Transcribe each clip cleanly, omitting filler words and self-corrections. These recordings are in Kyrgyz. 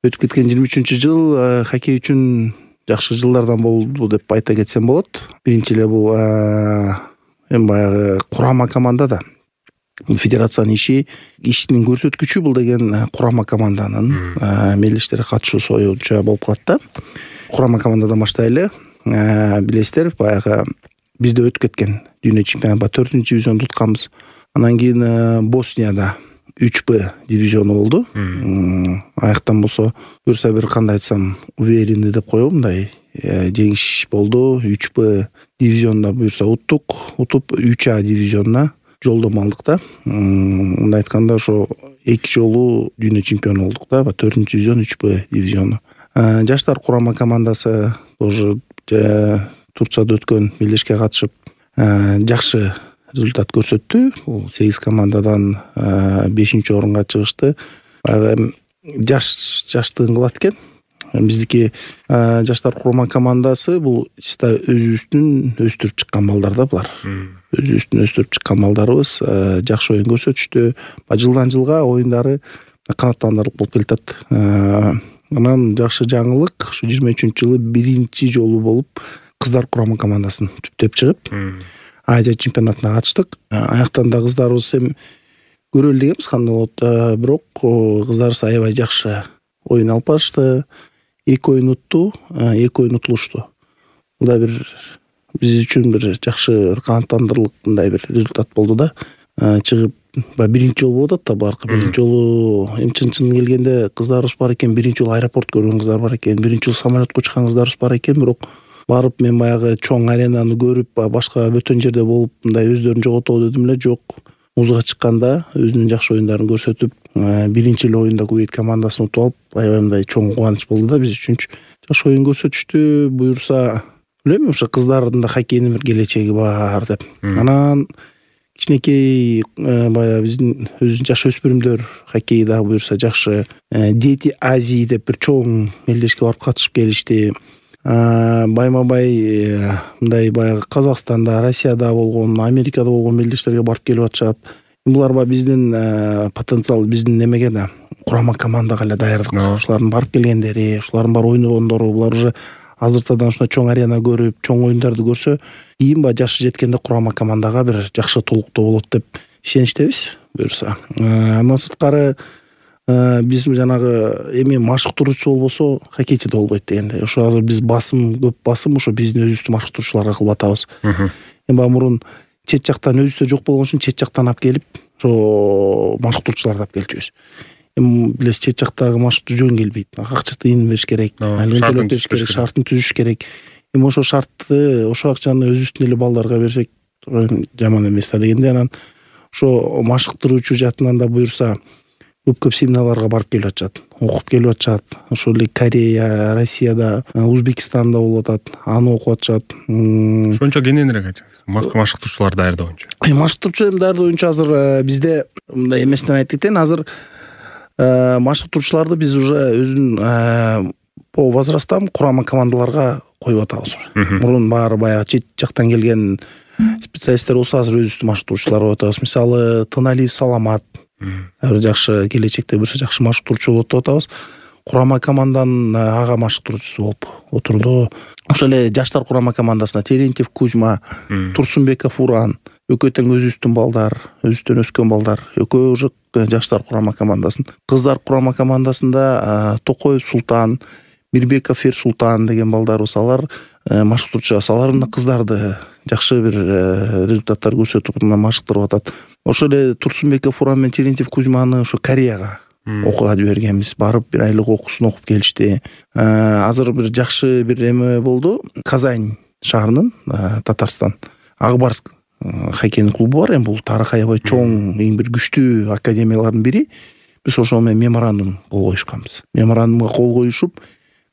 өтүп кеткен 23-жыл хоккей үчүн жакшы жылдардан болду деп айта кетсем болот. Биринчи эле бул эми баягы курама командада федерациянын иштин көрсөткүчү бул деген курама команданын мелдештерге катышуусу боюнча болуп калат да. Курама командадан баштайлы. Билесиздер, баягы бизде өтүп кеткен дүйнө чемпионатында 4-дивизионду утканбыз. Анан кийин Боснияда 3Б дивизиону болду. Аяктан болсо буюрса бир кандай айтсам уверенный деп коебу, мындай жеңиш болду. 3Б дивизионуна буюрса утуп 3А дивизионуна жолдомо алдык да. Мындай айтканда ошо 2 жолу дүйнө чемпиону болдук да, 4-дивизион 3Б дивизиону. Жаштар курама командасы тоже Турцияда өткөн мелдешке катышып жакшы результат көрсөттү. Бул 8 командадан 5-орунга чыгышты. Жаштыгын кылат экен. Биздики жаштар курама командасы бул чисто өзүбүздүн өстүрүп чыккан балдар да булар. Өзүбүздүн өстүрүп чыккан балдарыбыз жакшы оюн көрсөтүштү. Жылдан жылга оюндары канааттандырылып болуп келатат. Анан жакшы жаңылык, ушу 23-жылы биринчи жолу болуп кыздар курама командасын түптөп чыгып Азия чемпионатына катыштык. Аяктан да кыздарыбыз эми көрөлү дегенбиз, кандай болот. Бирок кыздарыбыз аябай жакшы оюн алып барышты. 2 оюн утту, 2 оюн утулушту. Бул да бир биз үчүн бир жакшы канааттандырылык мындай бир результат болду да. Чыгып биринчи жолу болуп атат да, баркы биринчи жолу эми чын келгенде кыздарыбыз бар экен, биринчи жолу аэропорт көргөн кыздар бар экен, биринчи жолу самолетко учкан кыздарыбыз бар экен. Бирок барып мен баягы чоң аренаны көрүп, башка бөтөн жерде болуп мындай өздөрүн жоготобу дедим эле, жок. Музга чыкканда өзүнүн жакшы оюндарын көрсөтүп, биринчи эле оюнда Кувейт командасын утуп алып, аябай мындай чоң кубаныч болду да биз үчүн. Жакшы оюн көрсөтүштү. Буюрса, билбейм, ошо кыздардын да хоккейдин бир келечеги бар деп. Анан кичинекей баягы биздин өзүбүздүн жаш өспүрүмдөр хоккейи да буюрса жакшы Дети Азии деп бир чоң мелдешке барып катышып келишти. Байма-бай мындай баягы Казакстанда, Россияда болгон, Америкада болгон мелдештерге барып келип атышат. Булар биздин потенциал, биздин немеге да курама командага эле даярдык. Ушулардын барып келгендери, ушулардын бар ойногондору, булар уже азыртадан ушундай чоң арена көрүп, чоң оюндарды көрсө, кийин жашы жеткенде курама командага бир жакшы толуктоо болот деп ишеничтебиз. Буюрса, андан сырткары биз жанагы эми машыктыруучу болбосо хоккейчи да болбойт дегенде. Ошо азыр биз көп басым ошо биздин өзүбүздүн машыктыруучуларга кылып атабыз. Эми мурун чет жактан өзүбүздө жок болгон үчүн чет жактан алып келип, ошо машыктыруучуларды алып келчүбүз. Эми билесиз, чет жактагы машыктыруу жөн келбейт. Акча тыйын бериш керек, шартын түзүш керек. Эми ошо шартты, ошо акчаны өзүбүздүн эле балдарга берсек жаман эмес да дегенде, анан ошо машыктыруучу жатынан да буюрса көп семиналарга барып келип атышат, окуп келип атышат. Ошол эле Корея, Россияда, Узбекистанда болуп атат, аны окуп атышат. Ошончо кененирээк айтыңыз. Машыктыруучулар даярдоо боюнча. Машыктыруучу даярдоо боюнча азыр бизде мындай эместен айтып кетейин. Азыр машыктыруучуларды биз уже өзүнүн по возрастам курама командаларга коюп атабыз. Мурун баары баягы чет жактан келген специалисттер болсо, азыр өзүбүздүн машыктыруучулар коюп атабыз. Мисалы, Тыналиев Саламат бир жакшы келечекте буюрса жакшы машыктыруучу болот деп атабыз. Курама команданын ага машыктыруучусу болуп отурду. Ошол эле жаштар курама командасына Терентьев Кузьма, Турсунбеков Уран, экөө тең өзүбүздүн балдар, өзүбүздөн өскөн балдар, экөө уже жаштар курама командасын. Кыздар курама командасында Токоев Султан, Мирбеков Султан деген балдарыбыз, алар машыктыруучу. Алардын кыздарды жакшы бир результаттар көрсөтүп машыктырып атат. Ошол эле Турсунбеков Уран менен Терентьев Кузьманы ошо Кореяга окууга жибергенбиз. Барып бир айлык окуусун окуп келишти. Азыр бир жакшы бир эме болду. Казань шаарынын, Татарстан, Акбарск хоккейдик клубу бар. Эми бул тарыхы аябай чоң, эң бир күчтүү академиялардын бири. Биз ошол менен меморандум кол коюшканбыз. Меморандумга кол коюшуп,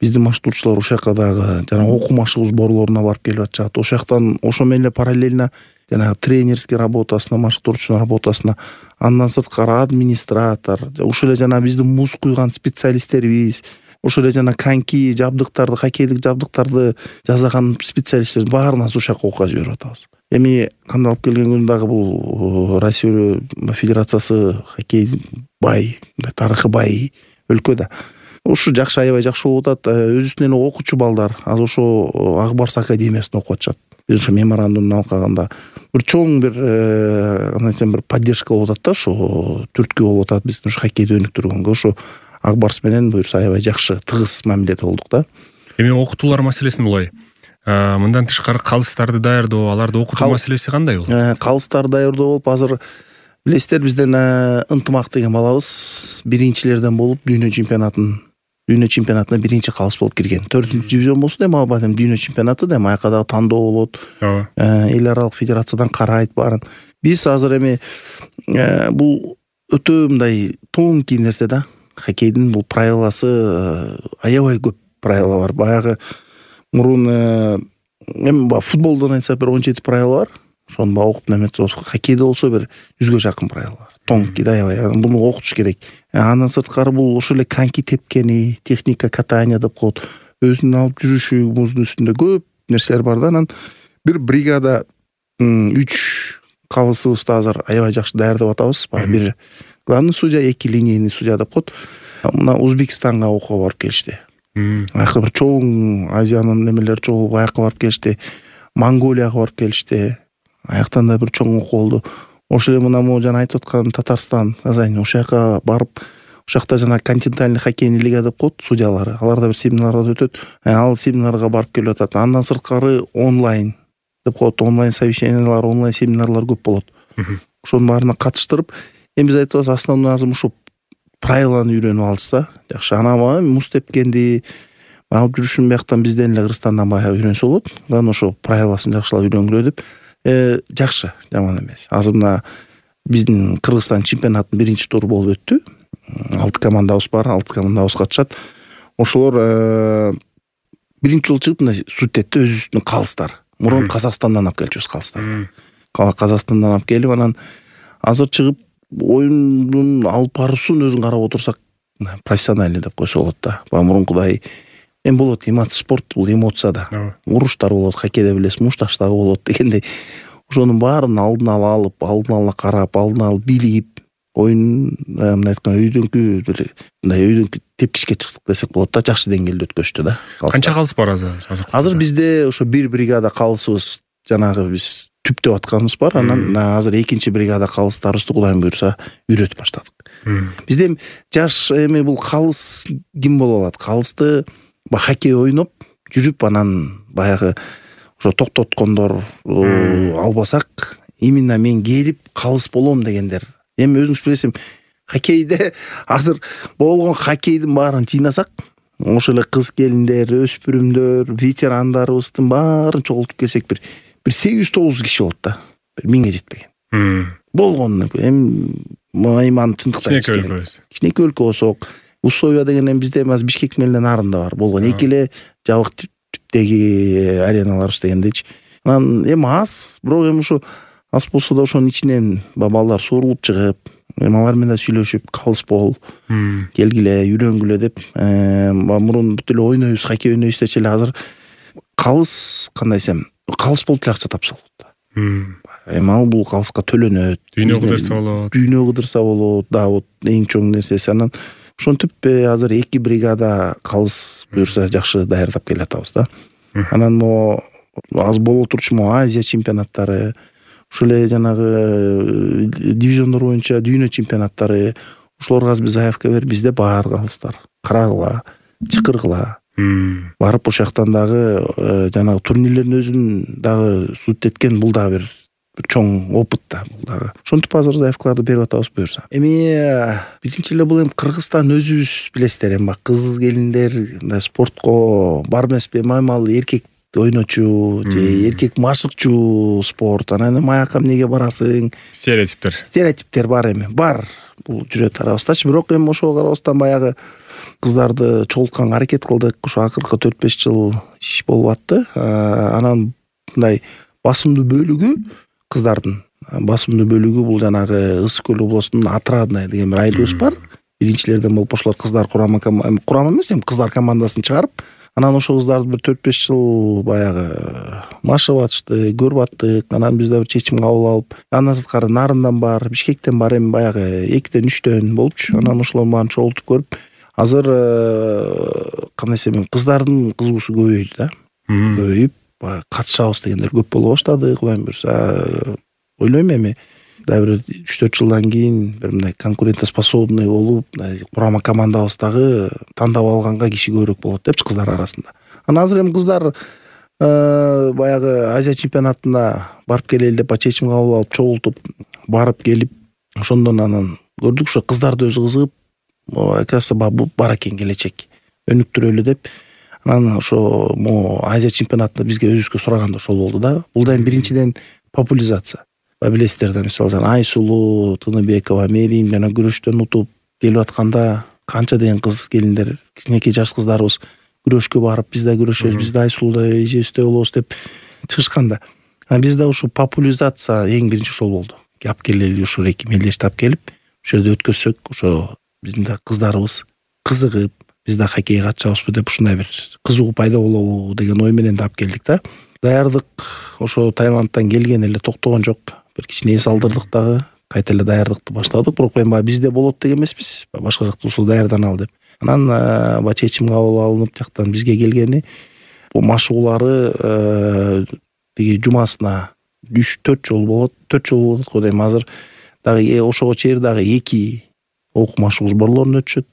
биздин машыктыруучулар ошол жакка дагы жана окуу машыгуу сборлоруна барып келип атышат. Ошол жактан ошо менен эле параллельно жана тренерский работасына, машыктыруучунун работасына, андан сырткары администратор, ошол эле жана биздин муз куйган специалисттерибиз, ошол эле жана коньки жабдыктарды, хоккейдик жабдыктарды жасаган специалисттер баарына ошол жакка окууга жиберип атабыз. Эми кандай алып келген күндө дагы бул Россия Федерациясы хоккей бай, тарыхы бай өлкө да. Ушу жакшы, аябай жакшы болуп атат. Өзүбүздүн окуучу балдар азыр ошо Ак Барс академиясында окуп атышат. Биз ошо меморандумду алкаганда бир чоң бир бир поддержка болуп атат да, ошо түрткү болуп атат биздин ушу хоккейди өнүктүргөнгө. Ошо Ак Барс менен буюрса аябай жакшы тыгыз мамиледе болдук да. Эми окутуулар маселесин булай. Мындан тышкары калыстарды даярдоо, аларды окутуу маселеси кандай болот? Калыстарды даярдоо болуп азыр билесиздер бизден Ынтымак деген балабыз биринчилерден болуп дүйнө чемпионатына биринчи калыс болуп кирген. 4-ч дивизион болсун эми албайт, эми дүйнө чемпионаты да, эми аяка дагы тандоо болот. Эл аралык федерациядан карайт баарын. Биз азыр эми бул өтө мындай тонкий нерсе да. Хоккейдин бул правиласы аябай көп правила бар. Баягы мурун эми футболдон айтсак бир 17 правила бар. Ошону окуп неметсе, хоккейде болсо бир 100гө жакын правила бар. Тонкий да, аябай. Буну окутуш керек. Андан сырткары бул ошо эле коньки тепкени, техника катания деп коет. Өзүнүн алып жүрүшү, муздун үстүндө көп нерселер бар да. Анан бир бригада 3 калысыбызды азыр аябай жакшы даярдап атабыз. Бир главный судья, 2 линейный судья деп коет. Мына Узбекистанга окууга барып келишти. Аяка бир чоң Азиянын немелери чогулуп аяка барып келишти. Монголияга барып келишти. Аяктан да бир чоң окуу болду. Ошо эле мына жана айтып аткан Татарстан, Казань, ошол жака барып, ошол жакта жана континентальный хоккейный лига деп коет судьялары. Алар да бир семинарга өтөт. Ал семинарга барып келип атат. Андан сырткары онлайн деп коет, онлайн совещаниялар, онлайн семинарлар көп болот. Ошонун баарына катыштырып, эми биз айтабыз, основной азыр ушу правиланы үйрөнүп алышса жакшы. Анан муз тепкенди алып жүрүшүн бияктан бизден эле Кыргызстандан баягы үйрөнсө болот. Анан ошо правиласын жакшылап үйрөнгүлө деп жакшы, жаман эмес. Азыр мына биздин Кыргызстан чемпионатынын биринчи туру болуп өттү. 6 командабыз бар, 6 командабыз катышат. Ошолор биринчи жолу чыгып мына судетте өзүбүздүн калыстар. Мурун Казакстандан алып келчүбүз калыстарды. Казакстандан алып келип, анан азыр чыгып оюндун алып баруусун өзүн карап отурсак, профессиональный деп койсо болот да. Мурункудай эми болот, спорт бул эмоция да. Уруштар болот, хоккейде билесиз, мушташтагы болот дегендей. Ошонун баарын алдын ала алып, алдын ала карап, алдын ала билип, оюн мындай айтканда өйдөн тепкичке чыксак десек болот да, жакшы деңгээлде өткөзүштү да. Канча калыс бар азыр? Азыр бизде ошо бир бригада калысыбыз, жанагы биз түптөп атканыбыз бар. Анан азыр экинчи бригада калыстарыбызды Кудайым буйрса үйрөтүп баштадык. Бизде жаш эми бул калыс ким боло алат? Калысты хоккей ойноп жүрүп, анан баягы ошо токтоткондор албасак, именно мен келип калыс болом дегендер. Эми өзүңүз билесиз, хоккейде азыр болгон хоккейдин баарын жыйнасак, ошо эле кыз келиндер, өспүрүмдөр, ветерандарыбыздын баарын чогултуп келсек бир 800-900 киши болот да. Бир 1000ге жетпеген. Болгон эми майман чындыкта кичинекей өлкө болсок, условия деген эми бизде эмес, Бишкек менен нарында бар болгон. Эки эле жабык типтеги ареналарыбыз дегендейчи. Анан эми аз, бирок эми ушу аз болсо да ошонун ичинен балдар суурулуп чыгып, эми алар менен сүйлөшүп, калыс бол, келгиле, үйрөнгүлө деп, мурун бүт эле ойнойбуз, хоккей ойнойбуз дечи эле азыр калыс кандай десем, калыс болуп акча тапса болот. Эми ал бул калыска төлөнөт. Дүйнө кыдырса болот, да вот эң чоң нерсеси. Анан ошентип азыр 2 бригада калыс буюрса жакшы даярдап келатабыз да. Анан аз боло турчу Азия чемпионаттары, ошол эле жанагы дивизиондор боюнча дүйнө чемпионаттары, ошолорго биз заявка берип, бизде бар калыстар. Карагыла, чакыргыла. Барып ошол жактан дагы жанагы турнирлердин өзүн дагы судеткен, бул дагы бир чоң опыт да бул дагы. Ошентип азыр заявкаларды берип атабыз буюрса. Эми биринчи эле бул эми Кыргызстан өзүбүз билесиздер, эми кыз келиндер спортко бар эмеспи, маймал эркек ойночу же эркек машыкчу спорт. Анан эми аяка эмнеге барасың? Стереотиптер бар эми. Бар. Бул жүрөт арабыздачы, бирок эми ошого карабастан баягы кыздарды чогултканга аракет кылдык. Ошо акыркы 4-5 жыл иш болуп атты. Анан мындай басымдуу бөлүгү кыздардын басымдуу бөлүгү бул жанагы Ысык көл облусунун Отрадная деген бир айылыбыз бар. Биринчилерден болуп ошолор кыздар курама эмес, эми кыздар командасын чыгарып, анан ошол кыздарды бир 4-5 жыл баягы машыгып атышты, көрүп аттык. Анан биз да бир чечим кабыл алып, андан сырткары Нарындан бар, Бишкектен бар, эми баягы 2-3 болупчу. Анан ошолордун баарын чогултуп көрүп, Азыр кандай десем, кыздардын кызыгуусу көбөйдү да. Көбөйүп, катышабыз дегендер көп боло баштады. Кудайым буйрса, ойлойм эми дагы бир 3-4 жылдан кийин бир мындай конкурентоспособный болуп, курама командабыздагы тандап алганга киши көбүрөөк болот депчи кыздар арасында. Анан азыр эми кыздар баягы Азия чемпионатына барып келели деп чечим кабыл алып, чогултуп барып келип, ошондон анан көрдүк ошо кыздарды өзү кызыгып, оказывается бул бар экен келечек. Өнүктүрөлү деп. Анан ошо Азия чемпионатында бизге өзүбүзгө сураганда ошол болду да. Бул да биринчиден популяризация. Билесиздер да, мисалы Айсулуу, Тыныбекова, Мерим жана күрөштөн утуп келип атканда канча деген кыз келиндер, кичинекей жаш кыздарыбыз күрөшкө барып, биз да күрөшөбүз, биз да Айсулуудай эжебиздей болобуз деп чыгышканда. Бизде ошо популяризация эң биринчи ошол болду. Алып келели, ошо эки мелдешти алып келип, ошо жерде өткөзсөк, ошо биздин да кыздарыбыз кызыгып, биз да хоккейге катышабызбы деп ушундай бир кызыгуу пайда болобу деген ой менен да алып келдик да. Даярдык ошо Таиландтан келген эле токтогон жок. Бир кичине эс алдырдык дагы, кайта эле даярдыкты баштадык. Бирок эми бизде болот деген эмеспиз. Башка жакта болсо даярданалы деп. Анан чечим кабыл алынып жактан бизге келгени бул машыгуулары тиги жумасына 3-4 жолу болот. 4 жолу болот го дейм. Азыр дагы ошого чейин дагы 2 окуу машыгуу сборлорун өтүшөт.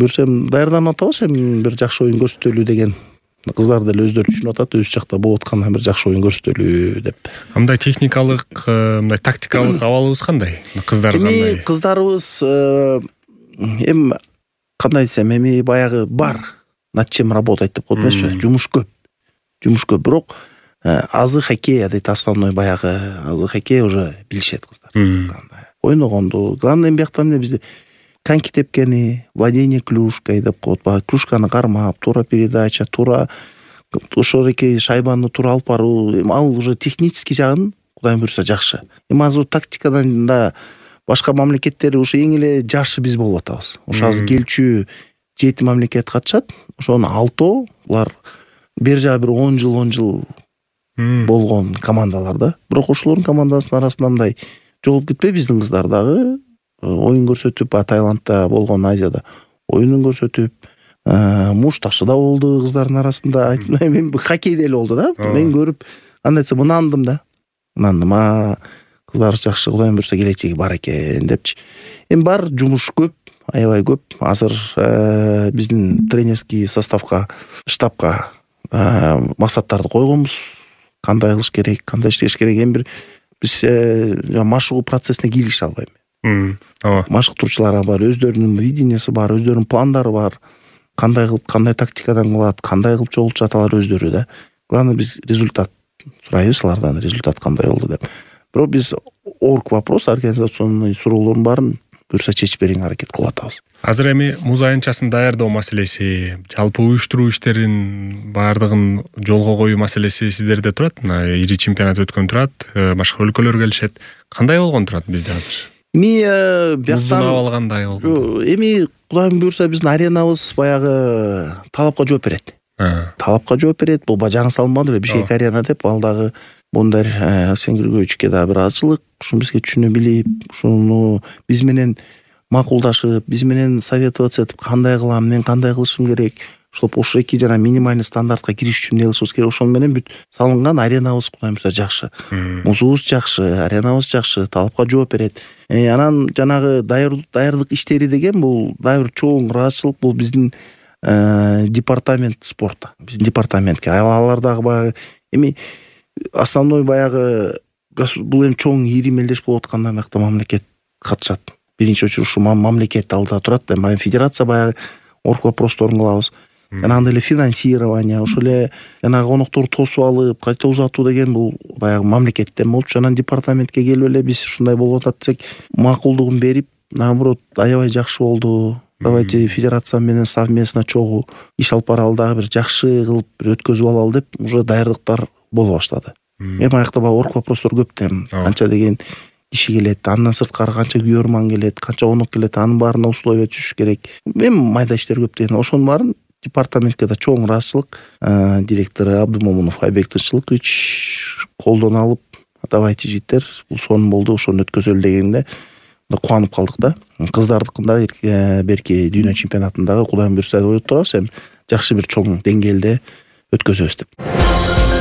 Көрсөм даярданып атабыз, эми бир жакшы оюн көрсөтөлү деген. Кыздар деле өздөрү түшүнүп атат, өз жакта болуп аткандан бир жакшы оюн көрсөтөлү деп. Мындай техникалык, мындай тактикалык абалыбыз кандай? Кыздар кандай? Кыздарыбыз эми кандай десем, эми баягы бар над чем работать деп коет эмеспи? Жумуш көп. Бирок азы хоккей дейт, основной баягы азы хоккей уже билишет кыздар. Ойногонду. Главное бияктан бизде коньки тепкени, владение клюшкой деп коет. Клюшканы кармап, туура передача, туура ошо эки шайбаны туура алып баруу. Ал уже технический жагын Кудайым буйрса жакшы. Эми азыр тактикадан да башка мамлекеттер ушу эң эле жашы биз болуп атабыз. Ошо азыр келчү 7 мамлекет катышат. Ошонун 6 булар бер жагы бир 10 жыл болгон командалар да. Бирок ошолордун командасынын арасында мындай жолуп кетпей биздин кыздар дагы оюн көрсөтүп, Таиландда болгон Азияда оюнун көрсөтүп, мушташы да болду кыздардын арасында. Айтмайм, эми хоккейде эле болду да. Мен көрүп, кандай десем, ынандым да. Кыздар жакшы, Кудайым буйрса келечеги бар экен депчи. Эми бар жумуш көп, аябай көп. Азыр биздин тренерский составка, штабка максаттарды койгонбуз. Кандай кылыш керек, кандай иштеш керек. Эми бир биз машыгуу процессине кийлигише албайм. Машыктыруучулар бар, өздөрүнүн видениясы бар, өздөрүнүн пландары бар. Кандай кылып, кандай тактикадан кылат, кандай кылып чогултушат алар өздөрү да. Главное биз результат сурайбыз алардан, результат кандай болду деп. Бирок биз орг вопрос, организационный суроолордун баарын буйрса чечип берүүгө аракет кылып атабыз. Азыр эми муз айынчасын даярдоо маселеси, жалпы уюштуруу иштерин баардыгын жолго коюу маселеси сиздерде турат. Ири чемпионат өткөн турат, башка өлкөлөр келишет. Кандай болгон турат бизде азыр? Муздун абалы кандай болгон? Эми Кудайым буйрса биздин аренабыз баягы талапка жооп берет. Бул жаңы салынбады эле, Бишкек арена деп, ал дагы мындай Сенгиргөөчүккө да бир азчылык, ушуну бизге түшүнө билип, ушуну биз менен макулдашып, биз менен советоваться этип, кандай кылам, мен кандай кылышым керек, ошо эки жана минимальный стандартка кириш үчүн эмне кылышыбыз керек, ошону менен бүт салынган аренабыз Кудайым буйрса жакшы. Музубуз жакшы, аренабыз жакшы, талапка жооп берет. Анан жанагы даярдык иштери деген бул дагы бир чоң ыраазычылык, бул биздин департамент спорта. Биздин департаментке алар дагы баягы эми основной баягы бул эми чоң ири мелдеш болуп атканда мыкты мамлекет катышат. Биринчи очередь ушу мамлекет алдыда турат. Эми федерация баягы орг вопросторун кылабыз. Андай эле финансирование, ошо эле жанагы конокторду тосуп алып, кайта узатуу деген бул баягы мамлекеттен болчу. Анан департаментке келип эле биз ушундай болуп атат десек, макулдугун берип, наоборот, аябай жакшы болду. Давайте федерация менен совместно чогуу иш алып баралы, дагы бир жакшы кылып бир өткөзүп алалы деп уже даярдыктар боло баштады. Эми аякта баягы орг вопростор көп да. Канча деген киши келет, андан сырткары канча күйөрман келет, канча конок келет, анын баарына условия түзүш керек. Эми майда иштер көп деген. Ошонун баарын департаментке да чоң ыраазычылык, директору Абдумомунов Айбек Тынччылыкович колдоно алып, давайте жигиттер, бул сонун болду, ошону өткөзөлү дегенде кубанып калдык да. Кыздардыкында берки дүйнө чемпионатындагы Кудайым буйрса деп ойлоп турабыз, эми жакшы бир чоң деңгээлде өткөзөбүз деп.